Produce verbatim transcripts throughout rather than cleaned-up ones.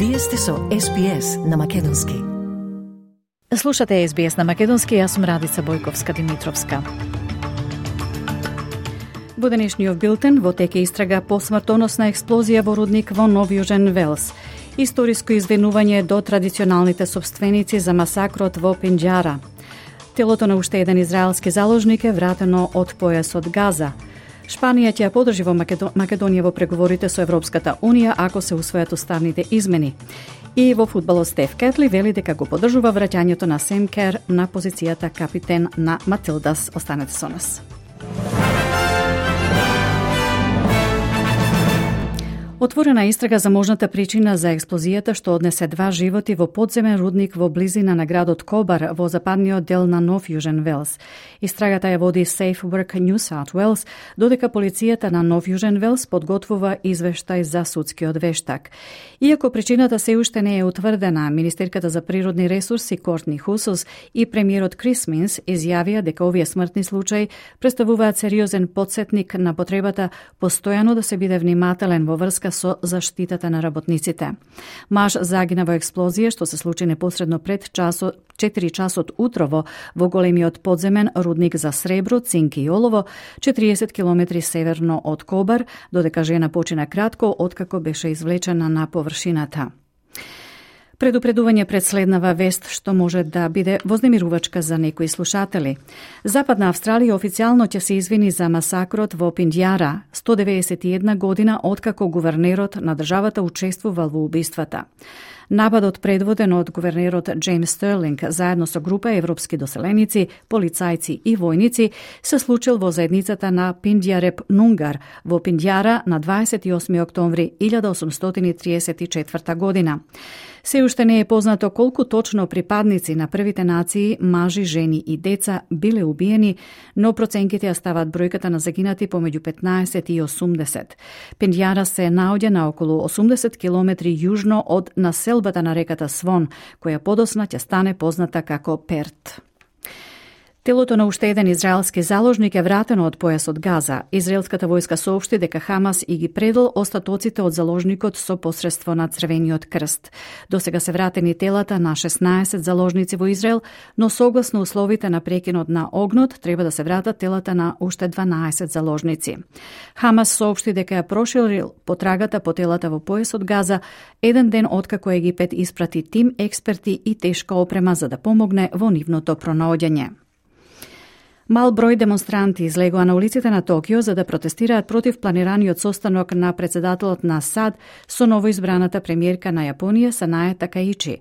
Вие сте со Ес Би Ес на Македонски. Слушате Ес Би Ес на Македонски, јас сум Радица Бојковска-Димитровска. Во денешниот билтен во теке истрага по смртоносна експлозија во рудник во Нов Јужен Велс. Историско извинување до традиционалните собственици за масакрот во Пинџара. Телото на уште еден израелски заложник е вратено од појасот Газа. Шпанија ќе ја подржи во Македонија во преговорите со Европската Унија ако се усвојат уставните измени. И во фудбалот Стеф Кетли вели дека го подржува враќањето на Сем Кер на позицијата капитен на Матилдас. Останете со нас. Отворена истрага за можната причина за експлозијата што однесе два животи во подземен рудник во близина на градот Кобар во западниот дел на Нов Јужен Велс. Истрагата ја води Safe Work New South Wales, додека полицијата на Нов Јужен Велс подготвува извештај за судскиот вештак. Иако причината се уште не е утврдена, министерката за природни ресурси Кортни Хусус и премиерот Крис Минс изјавија дека овие смртни случаи представуваат сериозен потсетник на потребата постојано да се биде внимателен во врска со заштитата на работниците. Маж загина во експлозија што се случи непосредно пред часот четири часот утрово во големиот подземен рудник за сребро, цинк и олово, четириесет километри северно од Кобар, додека жена почина кратко откако беше извлечена на површината. Предупредување пред следнава вест што може да биде вознемирувачка за некои слушатели. Западна Австралија официјално ќе се извини за масакрот во Пинџара, сто деветдесет и една година откако гувернерот на државата учествувал во убиствата. Нападот предводен од гувернерот Джеймс Стерлинг заедно со група европски доселеници, полицајци и војници се случил во заедницата на Пиндјареп Нунгар во Пинџара на дваесет и осми октомври илјада осумстотини и триесет и четврта година. Се уште не е познато колку точно припадници на првите нации, мажи, жени и деца биле убиени, но проценките ја стават бројката на загинати помеѓу петнаесет и осумдесет. Пинџара се наоѓа на околу осумдесет километри јужно од населбата на реката Свон, која подосна ќе стане позната како Перт. Телото на уште еден израелски заложник е вратено од појасот Газа. Израелската војска соопшти дека Хамас и ги предал остатоците од заложникот со посредство на Црвениот крст. Досега се вратени телата на шеснаесет заложници во Израел, но согласно условите на прекинот на огнот треба да се вратат телата на уште дванаесет заложници. Хамас соопшти дека ја проширил потрагата по телата во појасот Газа еден ден откако Египет испрати тим експерти и тешка опрема за да помогне во нивното пронаоѓање. Мал број демонстранти излегоа на улиците на Токио за да протестираат против планираниот состанок на председателот на САД со новоизбраната премиерка на Јапонија Санае Такаичи.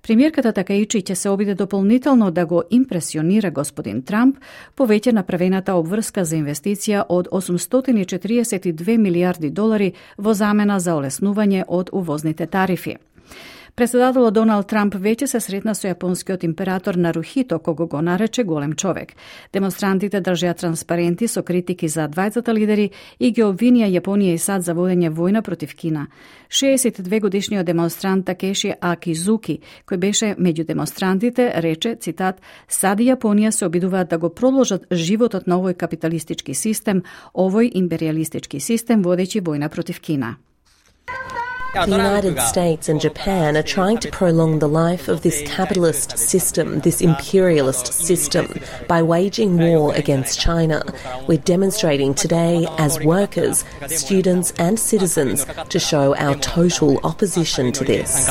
Премиерката Такаичи ќе се обиде дополнително да го импресионира господин Трамп по веќе направената обврска за инвестиција од осумстотини и четириесет и две милијарди долари во замена за олеснување од увозните тарифи. Председателот Доналд Трамп веќе се сретна со јапонскиот император Нарухито, кого го нарече голем човек. Демонстрантите држеа транспаренти со критики за двајцата лидери и ги обвинија Јапонија и САД за водење војна против Кина. шеесет и две годишниот демонстрант Такеши Акизуки, кој беше меѓу демонстрантите, рече, цитат, САД и Јапонија се обидуваат да го продолжат животот на овој капиталистички систем, овој империалистички систем водејќи војна против Кина. The United States and Japan are trying to prolong the life of this capitalist system, this imperialist system, by waging war against China. We're demonstrating today as workers, students and citizens to show our total opposition to this.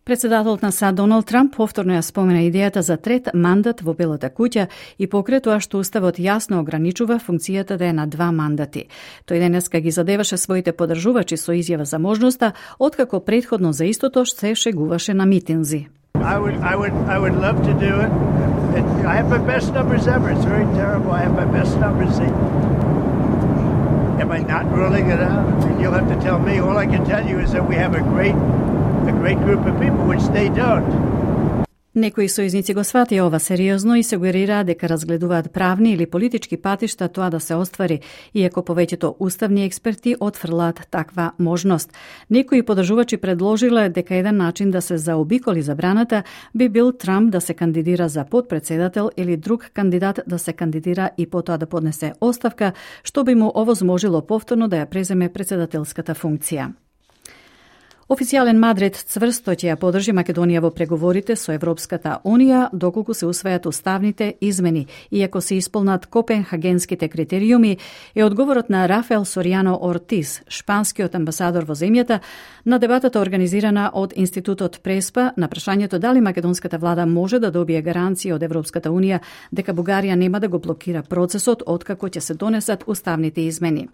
Председателот на САД Доналд Трамп повторно ја спомена идејата за трет мандат во Белата куќа и покрај тоа што уставот јасно ограничува функцијата да е на два мандати. Тој денеска ги задеваше своите поддржувачи со изјава за можноста, откако претходно за истото се шегуваше на митинзи. I would, I would, I would love to do it. it. I have my best numbers ever. It's very terrible. I have my best numbers. Am I not ruling it out? I mean, you'll have to tell me. All I can tell you is that we have a great a great group of people, which they don't. Некои сојузници го сватија ова сериозно и сугерираа дека разгледуваат правни или политички патишта тоа да се оствари, иако повеќето уставни експерти отфрлаат таква можност. Некои поддржувачи предложиле дека еден начин да се заобиколи забраната би бил Трамп да се кандидира за потпредседател или друг кандидат да се кандидира и потоа да поднесе оставка, што би му овозможило повторно да ја преземе председателската функција. Официјален Мадрид цврсто ќе ја подржи Македонија во преговорите со Европската Унија доколку се усвојат уставните измени, иако се исполнат копенхагенските критериуми, е одговорот на Рафаел Соријано Ортис, шпанскиот амбасадор во земјата, на дебатата организирана од Институтот Преспа на прашањето дали македонската влада може да добие гаранции од Европската Унија дека Бугарија нема да го блокира процесот откако ќе се донесат уставните измени.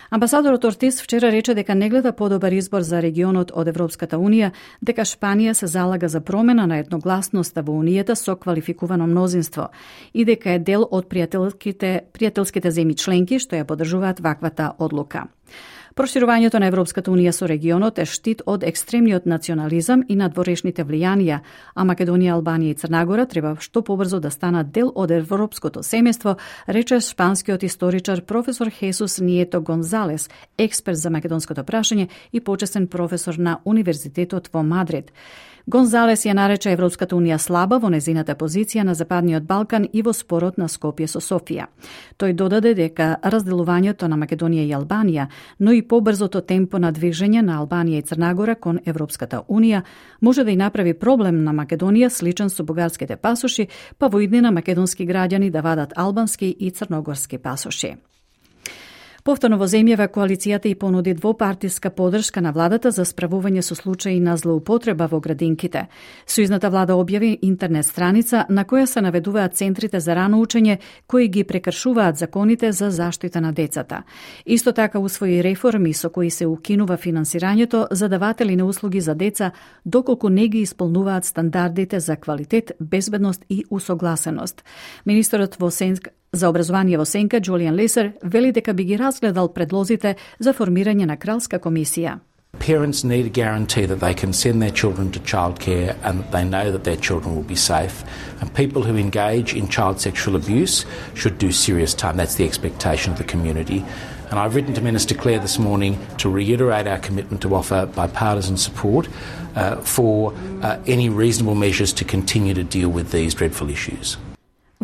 Амбасадорот Ортис вчера рече дека не гледа подобар избор за регионот од Европската Унија, дека Шпанија се залага за промена на едногласноста во Унијата со квалификувано мнозинство и дека е дел од пријателските, пријателските земји членки што ја поддржуваат ваквата одлука. Проширувањето на Европската Унија со регионот е штит од екстремниот национализам и надворешните влијанија, а Македонија, Албанија и Црнагора треба што побрзо да станат дел од европското семејство, рече шпанскиот историчар професор Хесус Нието Гонзалес, експерт за македонското прашање и почесен професор на Универзитетот во Мадрид. Гонзалес ја нарече Европската Унија слаба во незината позиција на Западниот Балкан и во спорот на Скопје со Софија. Тој додаде дека разделувањето на Македонија и Албанија, но и побрзото темпо на движење на Албанија и Црнагора кон Европската Унија може да и направи проблем на Македонија сличен со бугарските пасоши, па во иднина македонски граѓани да вадат албански и црногорски пасоши. Повторно во земјава коалицијата и понуди двопартиска поддршка на владата за справување со случаи на злоупотреба во градинките. Сојузната влада објави интернет страница на која се наведуваат центрите за рано учење кои ги прекршуваат законите за заштита на децата. Исто така усвои реформи со кои се укинува финансирањето за даватели на услуги за деца доколку не ги исполнуваат стандардите за квалитет, безбедност и усогласеност. Министерот во Сенк за образование во Сенка, Джулијан Лесер, вели дека би ги разгледал предлозите за формирање на кралска комисија. Parents need a guarantee that they can send their children to childcare and that they know that their children will be safe. And people who engage in child sexual abuse should do serious time. That's the expectation of the community. And I've written to Minister Clare this morning to reiterate our commitment to offer bipartisan support uh, for uh, any reasonable measures to continue to deal with these dreadful issues.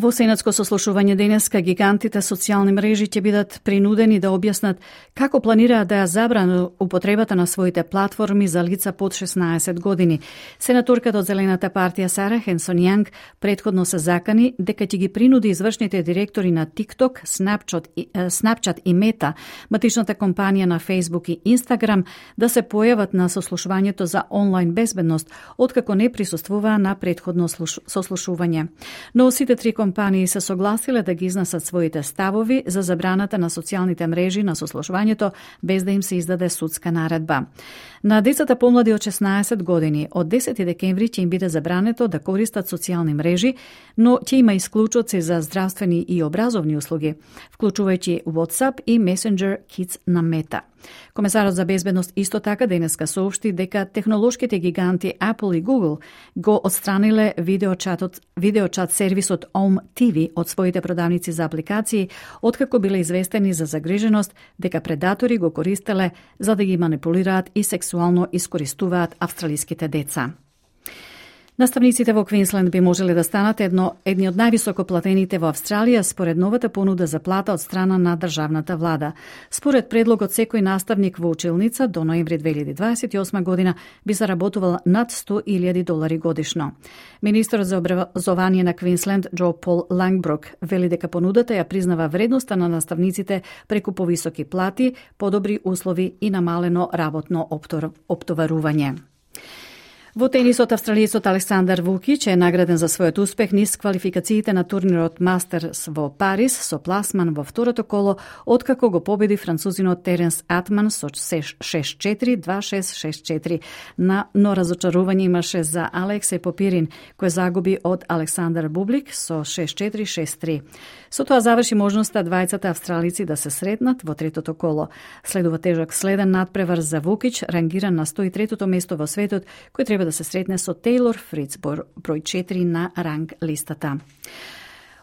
Во сенатско сослушување денеска гигантите социјални мрежи ќе бидат принудени да објаснат како планираат да ја забранат употребата на своите платформи за лица под шеснаесет години. Сенаторката од Зелената партија Сара Хенсон Јанг претходно се закани дека ќе ги принуди извршните директори на TikTok, Snapchat и, Snapchat и Meta, матичната компанија на Facebook и Instagram, да се појават на сослушувањето за онлайн безбедност, откако не присуствуваа на претходно сослушување. Но сите три компании се согласиле да ги изнесат своите ставови за забраната на социјалните мрежи на сослушувањето без да им се издаде судска наредба. На децата помлади од шеснаесет години од десети декември ќе им биде забрането да користат социјални мрежи, но ќе има исклучоци за здравствени и образовни услуги, вклучувајќи WhatsApp и Messenger Kids на Meta. Комесарот за безбедност исто така денеска соопшти дека технолошките гиганти Apple и Google го отстраниле видеочатот, видеочат сервисот Om ти ви од своите продавници за апликации, откако биле известени за загриженост дека предатори го користеле за да ги манипулираат и сексуално искористуваат австралиските деца. Наставниците во Квинсленд би можеле да станат едно, едни од највисоко платените во Австралија според новата понуда за плата од страна на државната влада. Според предлогот, секој наставник во училница до ноември две илјади дваесет и осма година би заработувал над сто илјади долари годишно. Министерот за образование на Квинсленд Џо Пол Лангбрук вели дека понудата ја признава вредноста на наставниците преку повисоки плати, подобри услови и намалено работно оптоварување. Во тенисот, австралиецот Александар Вукич е награден за својот успех низ квалификациите на турнирот Мастерс во Париз со пласман во второто коло, откако го победи французинот Теренс Атман со шест четири два шест шест четири. На, но разочарување имаше за Алексеј Попирин, кој загуби од Александар Бублик со шест четири шест три. Со тоа заврши можноста двајцата австралици да се сретнат во третото коло. Следува тежок следен надпревар за Вукич, рангиран на сто и третото место во светот, кој треба да се сретне со Тейлор Фриц, број четири на ранг листата.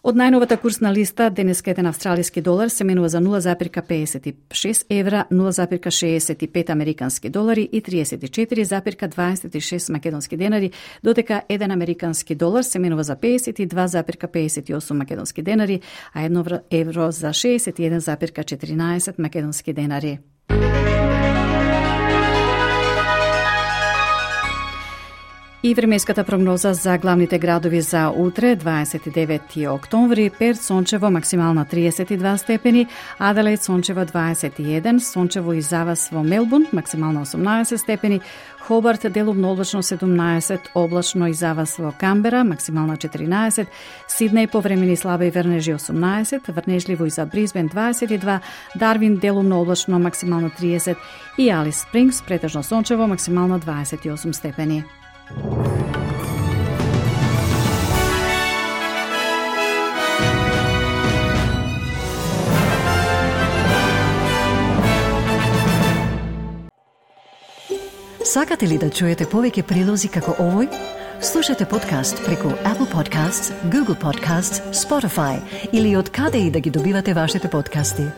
Од најновата курсна листа, денеска еден австралиски долар се менува за нула запирка педесет и шест евра, нула запирка шеесет и пет американски долари и триесет и четири запирка дваесет и шест македонски денари, додека еден американски долар се менува за педесет и два запирка педесет и осум македонски денари, а едно евро за шеесет и еден запирка четиринаесет македонски денари. И временската прогноза за главните градови за утре, дваесет и девети октомври, Перт сончево, максимална триесет и два степени, Аделаид сончево дваесет и еден, сончево и завас во Мелбурн, максимална осумнаесет степени, Хобарт делумно облачно седумнаесет, облачно и завас во Камбера, максимална четиринаесет, Сиднеј повремени слаби врнежи осумнаесет, врнежливо и за Брисбен дваесет и два, Дарвин делумно облачно, максимална триесет и Алис Спрингс претежно сончево, максимална дваесет и осум степени. Сакате ли да чуете повеќе прилози како овој? Слушате подкаст преку Apple Podcasts, Google Podcasts, Spotify или од каде и да ги добивате вашите подкасти.